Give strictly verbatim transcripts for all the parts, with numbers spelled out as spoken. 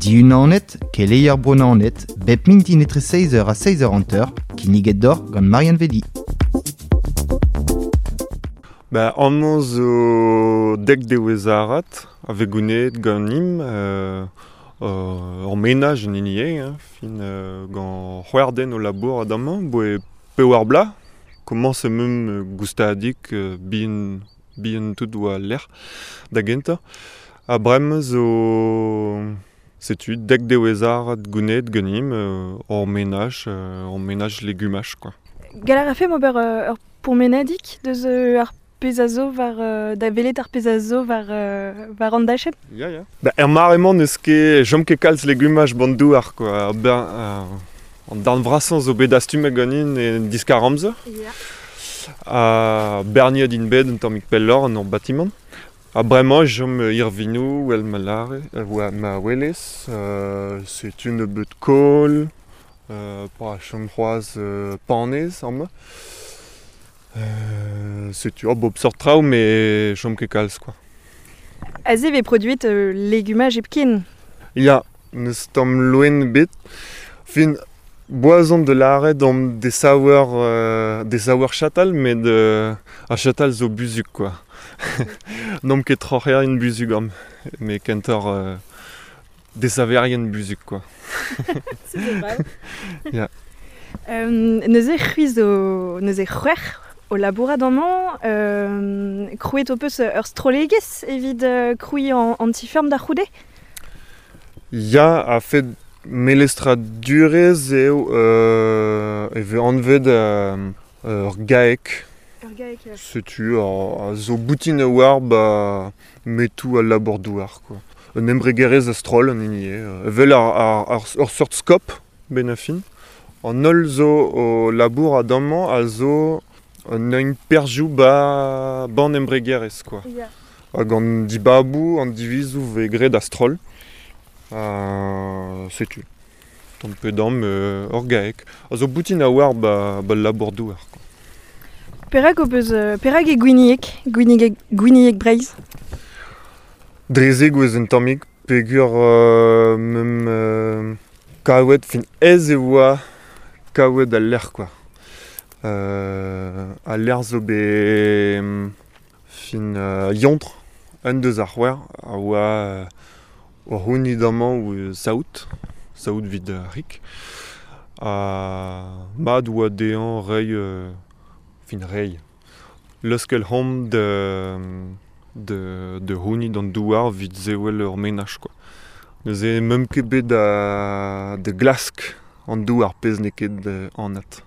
Diunanet, keleier Bro Naoned, bep mintin etre seizh eur ha seizh eur hanter, kinniget deoc'h gant Marianne Vedi. Ba, amañ zo dek devezh-arat a vez gounezet ganimp euh, euh, ur menaj en hini eo, hein, fin euh, gant c'hwec'h den o labour adamañ, boe pevar bloaz, komañs em goustadik euh, bihan, bihan tout oa lec'h da gentañ. Ha bremañ zo setu dek devezh-arat gounezet ganimp euh, ur menaj, euh, ur menaj legumaj quoi. Gall a rafemp ober euh, ur pourmenadig deus euh, ar pezh a zo war euh, da welet ar pezh a zo war, euh, war an dachenn. Ya, ya. Ba, er mare-mañ n'eus ket chom ket kalz legumaj ban douar quoi. Ben, euh, an darn vrasañ zo bet dastumet ganin en diskar amzer. Ya. Ha berniet int bet un tammig pelloc'h an ur batimant. Ha bremañ chom irvinoù, wel ma lare, euh, ma welez, euh, setu nebeut kohl, euh, pa chom c'hoazh euh, panez amañ. Euh, setu oh, bop sort traoù mais chom ket kalz quoi. Aze vez produit euh, legumaj hepken. Ya, n'eus tamm loen bet. Fin, boazon de lâret omp desaver, euh, desaver chatal, met euh, ar chatal zo buzhug quoi. N'omp ket troc'herien buzhug am, met kentoc'h euh, desaverien buzhug quoi. C'est drôle. Ya. Euh, neuze c'hwi zo neuze c'hwec'h o labourat amañ, euh, krouet ho peus ur strollegezh evit euh, krouiñ an, an ti-feurm da c'houde? Ya, a-fet melestradurezh eo euh, e vez anvet euh, ur GAEC. Ur GAEC. Setu a, a zo boutin a-war ba metoù al labour-douar quoi. Un embregerezh a-stroll an hini eo. Evel ar, ar, ar, ur seurt skop ben a fin. An holl zo o labour adamañ a zo un eun perzhioù ba ban embregerezh quoi. Ya. Hag an dibaboù, an divizoù vez graet a-stroll. Uh, setu. Tamm pe damm euh, ur GAEC. A zo boutin a-war ba, ba labour-douar quoi. Perak ho peus, euh, perak e Gwinieg, Gwinieg, Gwinieg Breizh? Dre zegouezh un tammig peogwir euh, meump euh, kaouet, fin aes e oa kaouet al lec'h quoi. Euh, al lec'h zo bet fin euh, yontr, un deus ar c'hwec'h a oa euh, o c'hounit amañ ou saout, saout evit ar rik. Ha mat oa dezhañ reiñ euh, fin reiñ. Leuskel c'homp de, de, de c'hounit an douar evit sevel ur menaj quoi. Neuze meump ket bet da, da glask an douar pezh n'eo ket euh, anat.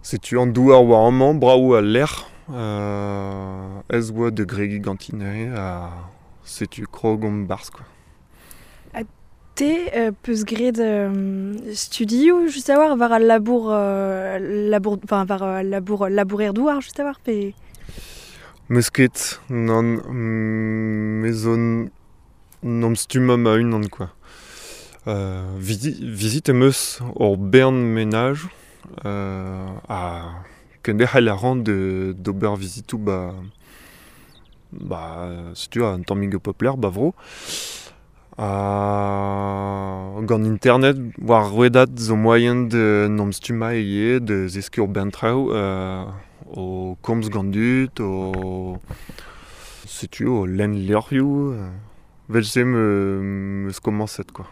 Setu an douar war amañ, brav al lec'h, euh, ez oa da gregiñ ganti neuze ha setu krog omp barzh quoi. Ha te euh, peus graet euh, studioù just a-walc'h war al labour, euh, labour, enfin war al labour labourer-douar just a-walc'h pe... Meus ket, nann, me zo n'am stummañ ma-unan quoi. Euh, visi, vizit em eus ur bern menaj euh, ha kenderc'hel a ran de, d'ober vizitoù ba, ba setu un tammig o pep lec'h ba vro. Ha gant internet war rouedad zo moaien de n'am stummañ ivez, de zeskiñ ur bern traoù euh, o komz gant dud, o setu o lenn levrioù, euh, vel-se me, meus komañset quoi.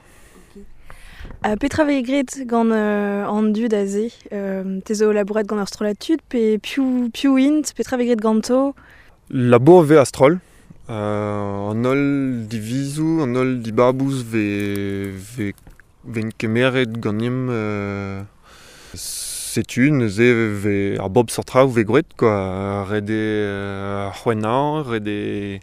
Ha petra vez graet gant euh, an dud aze? Euh, te zo labourat gant ur strollad tud, pe piv, piv int, petra vez graet ganto? Labour vez a-stroll. Euh, an holl divizoù, an holl dibaboù vez, vez, vez kemeret ganimp euh, setu neuze vez ar bop seurt traoù vez graet quoi. Ret eo euh, c'hwennañ, ret eo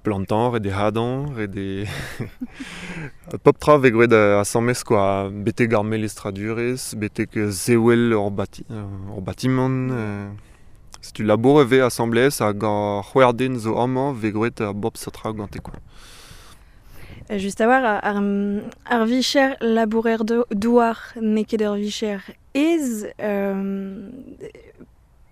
plantañ, ret eo hadañ, ret eo pep tra vez graet asambles quoi. Betek ar melestradurezh, betek sevel ur bati, ur batimant. Euh, setu labour e vez asambles hag ar c'hwec'h den zo amañ vez graet ar bop seurt traoù gante quoi. Just a-walc'h, ar, ar vicher labourer douar n'eo ket ur vicher aes, euh,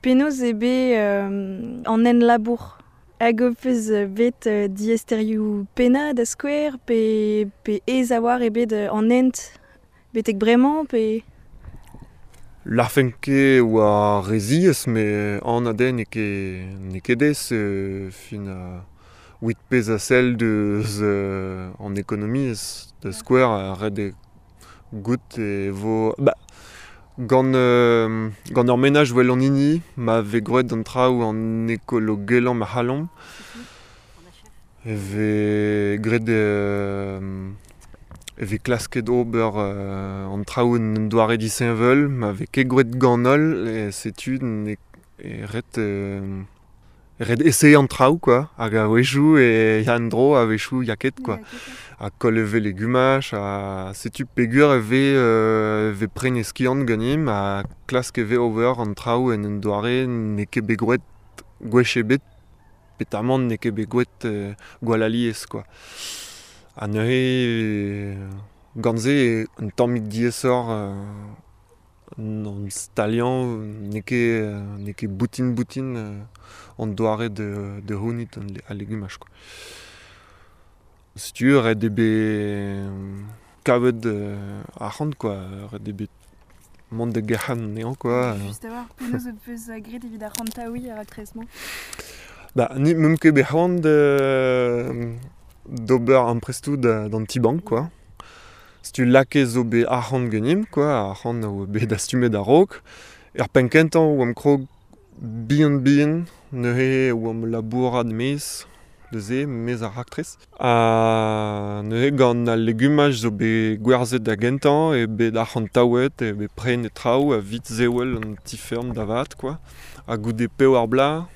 penaos eo bet euh, an en labour Hag ho peus bet uh, diaesterioù pennañ da skouer pe, pe aes a-walc'h eo bet an hent betek bremañ pe... Larfen ket oa re ziaes, met an adenn n'eo ket, n'eo ket aes euh, fin uh, evit pezh a sell deus euh, an ekonomiezh da skouer a ret eo goût e vo... Ba, gant, euh, gant ur menaj well an hini, ma vez gwraet an traoù an ekologelañ ma c'hallomp. E vez graet euh, e vez klasket ober euh, an traoù en doare disheñvel, ma vez ket gwraet gant holl, e setu ne e ret euh, ret essayer an traoù quoi, hag a-wechoù e ya an dro, a-wechoù ya ket quoi. Ha koll e vez legumaj, ha setu peogwir e vez, euh, vez pren e skiant ganimp, ha klask e vez ober an traoù en un doare n'eo ket bet gwraet gwech ebet, petamant n'eo ket bet gwraet euh, gwall alies quoi. Ha neuze gant se eo un tammig diaesoc'h euh, an staliañ n'eo ket, n'eo ket boutin-boutin euh, an doare de, de c'hounit an al legumaj quoi. Setu ret eo bet kavet euh, arc'hant quoi, ret eo bet mont da gerc'hat anezhañ quoi. Just a-walc'h, penaos ho peus graet evit arc'hantaouiñ ar raktres-mañ ? Ba, ni meump ket bet c'hoant d'ober amprestoù d'an ti-bank quoi. Setu lakaet zo bet arc'hant ganimp quoi, arc'hant a oa bet dastumet a-raok. Er penn kentañ oamp krog bihan-bihan, neuze oamp labourat maez da se, maez ar raktres. Ha neuze gant al legumaj zo bet gwerzhet da gentañ, eo bet arc'hantaouet, eo bet prenet traoù evit sevel an ti-feurm da vat quoi. Ha goude pevar bloaz,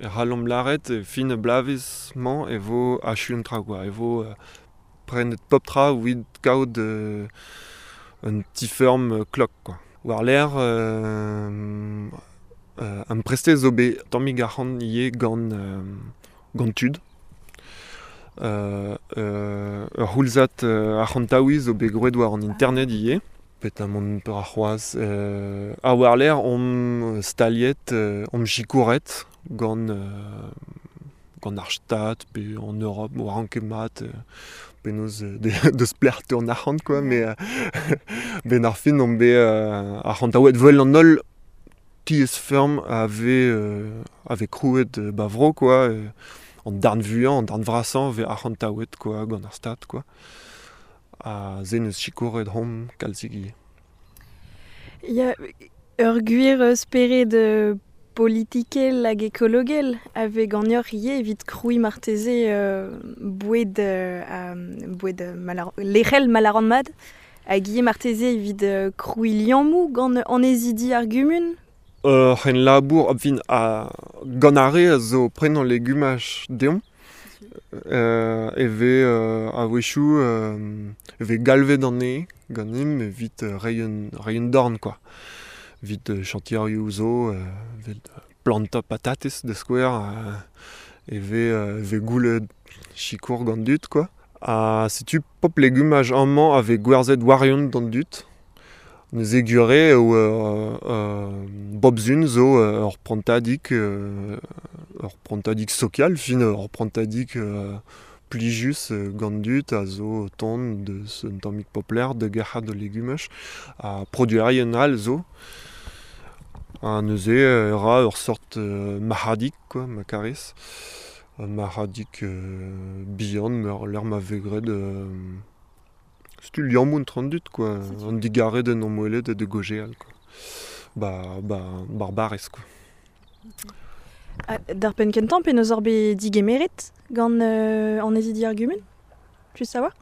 e c'hallomp lâret e fin ar bloavezh-mañ e vo achu an traoù quoi, e vo euh, prenet pep tra evit kaout euh, un ti-feurm euh, klok quoi. War-lerc'h euh, euh, amprestet zo bet tammig arc'hant ivez gant, euh, gant tud. Euh, euh, ur c'houlzad euh, arc'hantaouiñ zo bet gwraet war an internet ivez. Petamant peur ar c'hoazh. Euh, ha war-lerc'h omp staliet, euh, omp sikouret gant, euh, gant ar Stad pe en Europe, oa ket mat euh, penaos euh, de, deus pelec'h teu an arc'hant quoi, mais euh, ben ar fin omp bet euh, arc'hantaouet vel an holl tiez-feurm a vez, euh, a vez krouet euh, ba vro quoi, euh, an darn vuiañ, an darn vrasañ vez arc'hantaouet quoi, gant ar Stad quoi. Ha se neus sikouret hom kalzik ivez. Ya, ur gwir spered euh, politikel hag ekologel a vez ganeoc'h ivez evit krouiñ marteze euh, boued, euh, a, boued malar, lec'hel malaran mat, hag ivez marteze evit euh, krouiñ liammoù gant annezidi ar gumun. Ur c'hen labour, fin, a, gant ar re a zo prenañ legumaj deomp, euh, e vez euh, a-wechoù euh, e vez galvet anezhe ganimp evit euh, reiñ un, reiñ un dorn quoi. Evit euh, chantierioù zo, euh, evit plantañ patatez da skouer, euh, e vez, euh, e vez goulet sikour gant dud quoi. Ha setu pop legumaj amañ a vez gwerzhet warion d'an dud. Neuze gwir eo euh, euh, bep sizhun zo euh, ur prantadig, euh, ur prantadig sokial, fin ur prantadig euh, plijus euh, gant dud a zo tont deus un tammig popler da gerc'hat da legumaj ha produerien all zo. Ha neuze e ra ur sort euh, marc'hadig quoi, ma karez. Un marc'hadig euh, bihan, meur l'eur ma vez graet euh, setu liammoù entre an dud quoi, an digarez d'en emwelet ha de gaozeal quoi. Ba, ba, barbarez quoi. Ha d'ar penn kentañ penaos oc'h bet digemeret gant euh, annezidi ar gumun ? Just a-walc'h ?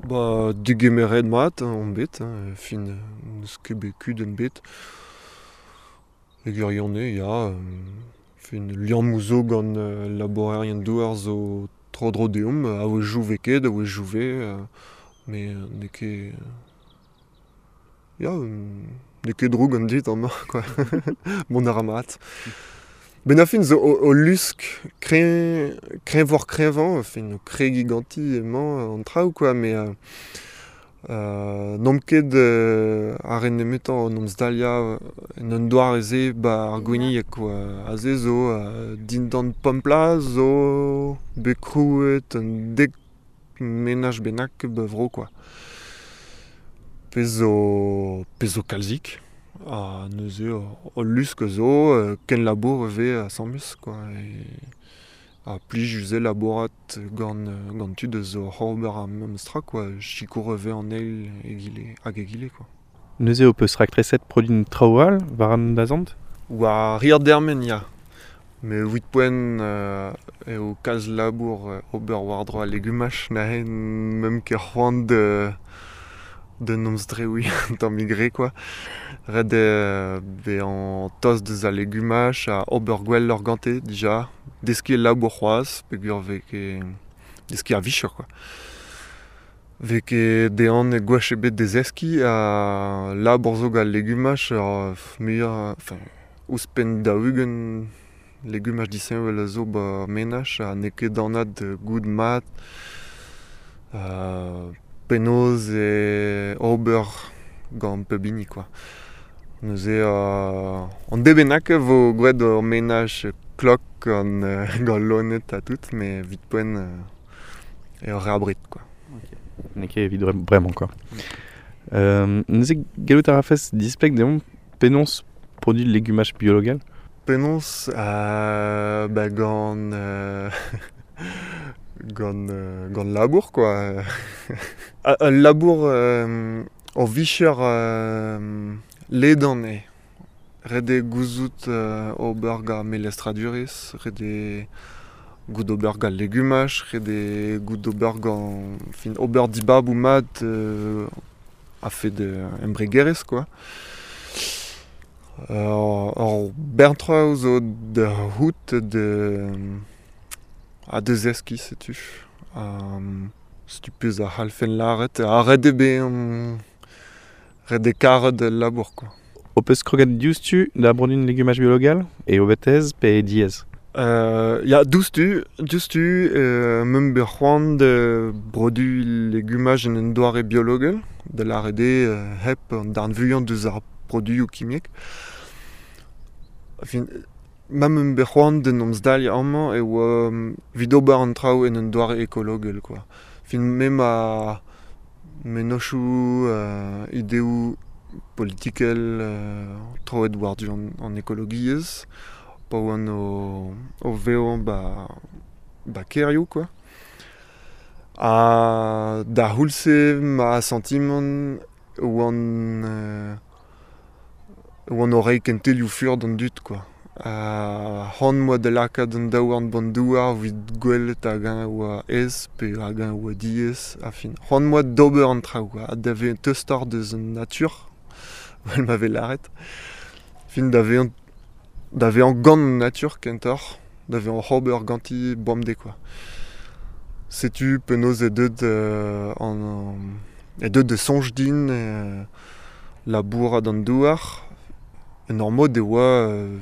Ba, digemeret mat on bet, hein, fin n'eus ket bet kudenn bet. E gwirionez, ya, euh, fin liammoù zo gant euh, labourerien douar zo tro-dro deomp, a-wechoù vez ket, a-wechoù vez, euh, mais n'eo ket... Ya, n'eo ket droug an dud amañ quoi, mont a ra mat. Ben ar fin zo o, o lusk kreñv, kreñvoc'h kreñvañ, fin o kregiñ ganti emañ an traoù quoi, mais euh, Euh, N'omp ket euh, ar en nemetañ n'omp zdalia en un doare ze ba ar gwinieg quoi. Aze zo euh, dindan pempla zo bet krouet un dek menaj bennak ba vro quoi. Pezh zo, pezh zo kalzik. Ha neuze o lusk zo euh, ken labour ve asambles quoi. E, ha plij uze labourat gant, gant tud eus o ober ar memes tra quoi, sikour eve an eil egile, hag egile quoi. Neuze ho peus raktreset produin traoù all war an dazont? War rir dermen ya. Me evit poent euh, eo kalz labour euh, ober war-dro al legumaj nahe mem ket c'hoant de de n'omz dreoui tamm gre quoi. Ret eo bezañ tost deus al legumaj ha ober gwell ur gante dija. Deskiñ labour c'hoazh peogwir vez ket deskiñ ar vicher quoi. Vez ket dezhan gwech ebet da zeskiñ ha labour zo gant legumaj ur muioc'h enfin ouzhpenn daou-ugent legumaj disheñvel a zo ba menaj ha n'eo ket anat goût mat euh, penaos e ober gant pep hini quoi. Neuze euh, an debennak vo gwraet ur menaj klok gant, euh, gant loened ha tout, mais evit poent euh, eo re abred quoi. Okay. N'eo ket evit bremañ quoi. Euh, neuze gallout a rafes displeg deomp penaos produit legumaj biologel? Penaos euh, ba gant euh, gant, euh, gant labour quoi. Ul labour euh, o vicher euh, ledan eo. Ret eo gouzout euh, ober gant melestradurezh, ret eo goût ober gant legumaj, ret eo goût ober gant fin ober dibaboù mat euh, a-fet euh, embregerezh quoi. Ur, ur bern traoù zo da c'hoût de ha da zeskiñ setu. Um, setu pezh a c'hallfen lâret ha ret eo bezañ ret eo karet al labour quoi. Ho peus kroget diouzhtu da produin legumaj biologel e o betez pe diaes? Euh, ya, diouzhtu, diouzhtu, euh, meump bet c'hoant da produiñ legumaj en un doare biologel, da lâret eo euh, hep an darn vuiañ deus ar produioù kimiek. Enfin, ma meump bet c'hoant d'en em zdaliañ amañ e oa evit ober an traoù en un doare ekologel quoi. Fin me ma mennozhioù euh, ideoù politikel euh, troet war-du an, an ekologiezh, pa oan o, o vevañ ba, ba kêrioù quoi. Ha da c'houlz-se ma santimant oan euh, oan o reiñ kentelioù fur d'an dud quoi. Ha c'hoant 'moa da lakaat an daouarn b'an douar evit gwelet hag-eñ oa aes pe hag-eñ oa diaes ha fin. C'hoant 'moa d'ober an traoù quoi, ha da vezañ tostoc'h deus an natur, evel ma vez lâret. Fin da vezañ da vezañ gant an natur kentoc'h, da vezañ oc'h ober ganti bemdez quoi. Setu penaos eo deuet euh, an eo deuet da soñj din euh, labourat an douar. En ur mod e oa euh,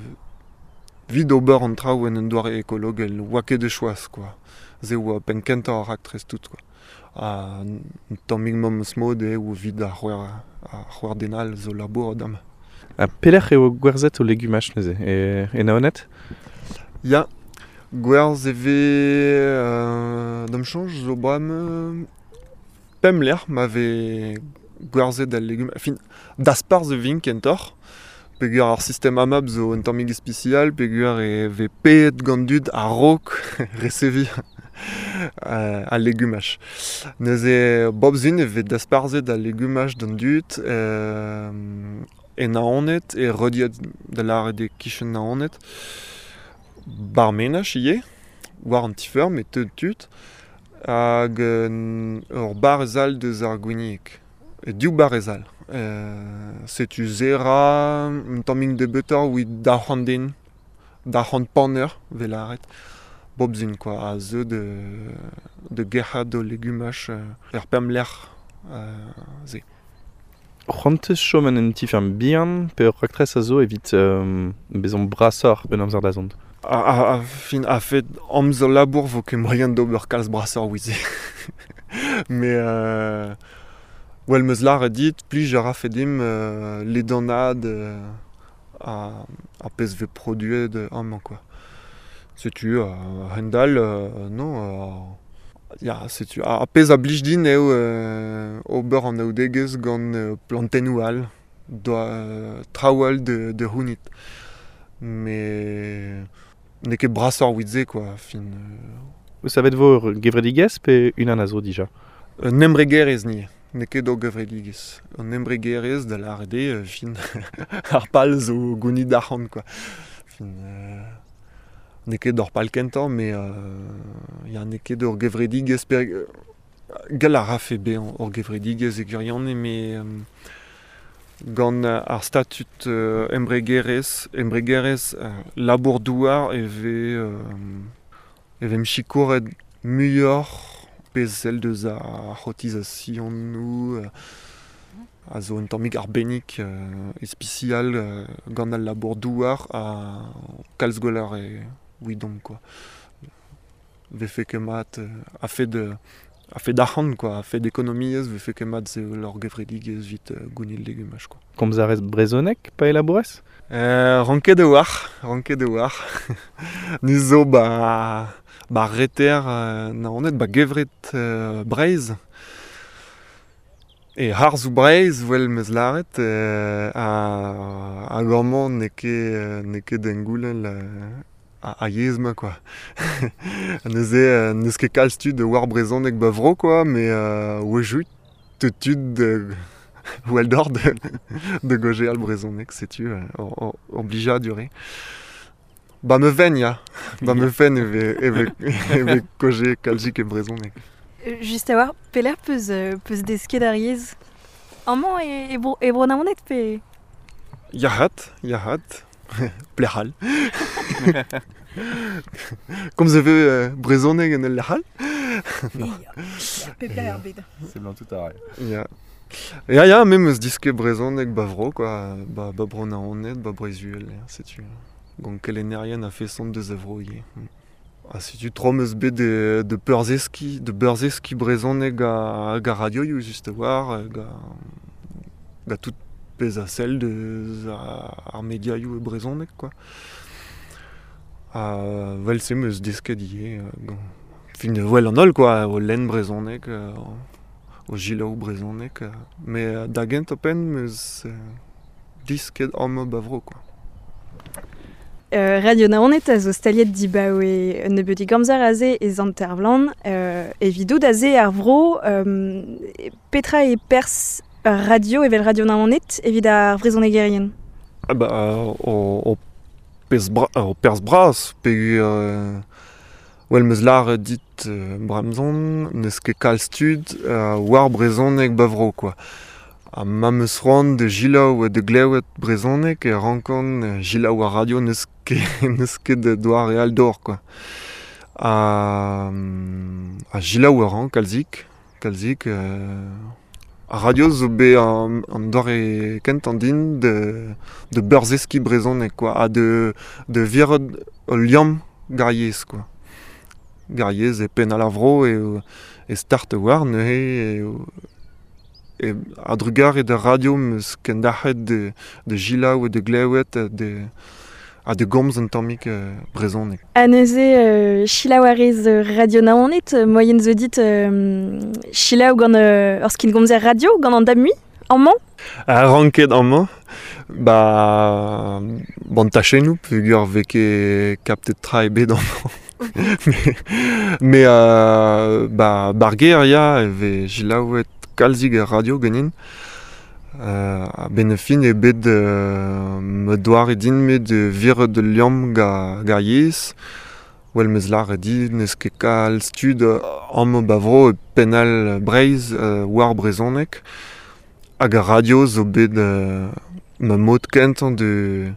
evit ober an traoù en un doare ekologel, oa ket de choaz quoi. Se oa penn kentañ ar raktres tout quoi. Ha un tammig memes mod eo evit ar c'hwec'h ar c'hwec'h den all zo labourat amañ. Ha pelec'h eo gwerzhet ho legumaj neuze? E, e Naoned? Ya, gwerzh e vez euh, d'am soñj zo bremañ pemp lec'h ma vez gwerzhet al legumaj. Fin, dasparzh e vint kentoc'h. Peogwir ar sistem AMAP zo un tammig ispisial, peogwir e vez paeet gant dud a-raok reseviñ euh, al legumaj. Neuze bep sizhun e vez dasparzhet al legumaj d'an dud euh, e Naoned, e Rediad da lâret eo kichen Naoned. Bar menaj ivez, war an ti-feurm e teu tud, hag ur barrez all deus ar Gwinieg. E div barrez all. Euh, setu zera un tammig nebeutoc'h evit daou c'hant den, daou c'hant paner 'vez lâret. Bep sizhun quoi, a zeu de, de gerc'hat o legumaj euh, er pemp lec'h euh, se. C'hoant 'teus chom en un ti-feurm bihan pe ur raktres a zo evit euh, bezañ brasoc'h ben amzer da zont? A, a, a, fin, a-fet amzer labour vo ket moaien d'ober kalz brasoc'h evit se. Mais euh, Well meus lâret dit, plij a rafe dimp euh, ledanad euh, a, a pezh vez produet amañ quoi. Setu euh, a-hend-all euh, non euh, ya setu a, a pezh a blij din eo euh, ober an anaoudegezh gant euh, plantennoù all, doa euh, traoù all de, de c'hounit. Mais n'eo ket brasoc'h evit se quoi, fin. Euh... Savet vo ur gevredigezh pe unan a zo dija? Un embregerezh ni, n'eo ket ur gevredigezh. Un embregerezh da lâret eo, fin ar pal zo gounit arc'hant quoi. Fin, euh, n'eo ket ur pal kentañ, mais euh, ya n'eo ket ur gevredigezh per... Gall a rafe bezañ ur gevredigezh e gwirionez, mais euh, gant ar statut euh, embregerezh, embregerezh euh, labour-douar e vez euh, e vez sikouret muioc'h pezh sell deus ar c'hotizasionoù euh, a zo un tammig arbennik euh, ispisial euh, gant al labour-douar a kalz gwelloc'h e ouidomp quoi. Vefe ket mat euh, a fed a fed arc'hant quoi, a fed ekonomiezh, vefe ket mat sevel ur gevredigezh evit euh, gounit legumaj quoi. Komz a rez brezhoneg pa e labourez? Euh, ranket e oar, ranket e oar. Ni zo ba, ba reter euh, Naoned, ba gevret euh, Breizh. E harzoù Breizh, wel meus lâret, euh, a, hag amañ n'eo ket, n'eo ket d'engoulel euh, a, a yezh ma quoi. Neuze euh, n'eus ket kalz tud war brezhoneg ba vro quoi, mais euh, wejout tud de wel d'or de, de gojeal brezhoneg, setu euh, ur, ur blijadur eo. Ba me ven ya, ba me ven e ve, e ve, e ve koje kalzik e brezhoneg. Just a war, pelec'h peus, peus desket ar yezh? Amañ e, e, bro, e bro Naoned pe... Yac'hat, yac'hat, plec'hal. Komz e vez euh, brezhoneg en ul lec'h all? Non. Pep lec'h ar bed. Seblant tout a ray. Ya. Ya, ya, me meus disket brezhoneg ba vro, quoi, ba, ba bro Naoned, ba Breizh-Uhel, setu. Gant kelennerien a feson deus a vro ivez. Ha setu tro meus bet de, de peurzeskiñ, de beurzeskiñ brezhoneg a, hag a radioioù just a-war, hag a, ga tout pezh a sell deus ar mediaioù e brezhoneg quoi. Ha vel-se meus desket ivez, gant fin wel an holl quoi, o lenn brezhoneg, o jilaou brezhoneg, mais da gentañ penn meus disket amañ ba vro quoi. Euh, Radio Naoned a zo staliet dibaoe un nebeudig amzer aze e Sant-Ervlan, euh, evidout aze ar vro, euh, petra e perzh radio evel Radio Naoned evit ar vrezhonegerien? Ah bah, o, o pezh bra, o perzh bras, peogwir euh, well meus lâret dit euh, bremzon, n'eus ket kalz tud euh, war brezhoneg ba vro quoi. Ha ma meus c'hoant de jilaou de glewet brezhoneg e rankan jilaou ar radio n'eus ket, n'eus ket de doare all d'or quoi. Ha, ha jilaou a ran kalzik, kalzik euh, ar radio zo bet an, an doare kentañ din de, de beurzeskiñ brezhoneg quoi, ha de, de viret ul liamm ga'r yezh quoi. Ga'r yezh e penn al ar vro e, e start war neuze e, e a-drugarez d'ar radio meus kendalc'het de, de jilaou de glewet de, ha de gomz un tammig euh, brezhoneg. Ha neuze euh, selaou a rez Radio Naoned, moaien zo dit euh, selaou gant euh, ur skingomzer radio, gant an damui, amañ? A ranket amañ, ba ban tachennoù, peogwir vez ket kaptet tra ebet amañ. Mais, mais euh, ba, bar gêr ya, e vez selaouet kalzik ar radio ganin. Euh, a-benn ar fin eo bet euh, ma doare din me de viret ul liamm ga, ga yezh. Well meus lâret dit n'eus ket kalz tud amañ ba vro e penn all Breizh euh, war brezhoneg. Hag ar radio zo bet euh, ma mod kentañ de,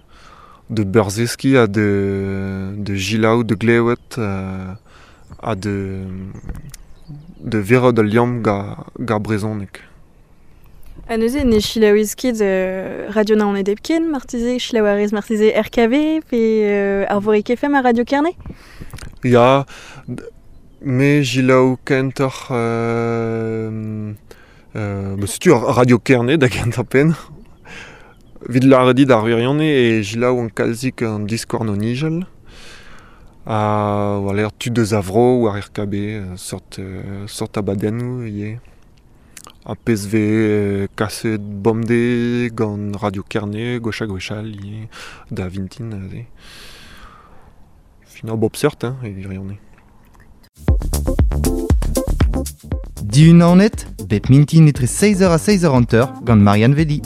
de beurzeskiñ ha de, de jilaou, de glewet euh, ha de, de viret ul liamm ga, ga brezhoneg. Ha neuze ne selaouez ket euh, Radio Naoned hepken, marteze, selaou a rez marteze R K V pe euh, Arvorig F M a Radio Kerne? Ya, me jilaou kentoc'h euh, Euh, ba setu ar Radio Kerne da gentañ penn. Vid lâret dit ar wirionez e jilaou an kalzik an diskouarn o nijel. Ha war l'air tud deus a vro war R K B, sort, euh, sort abadennoù ivez. Ha pezh vez euh, kaset bemdez gant Radio Kerne, gwech ha gwech all ivez, da vintin aze. Fin ar bop seurt, hein, e wirionez. Dihun Naoned, bep mintin etre seizh eur ha seizh eur hanter gant Marianne Vedi.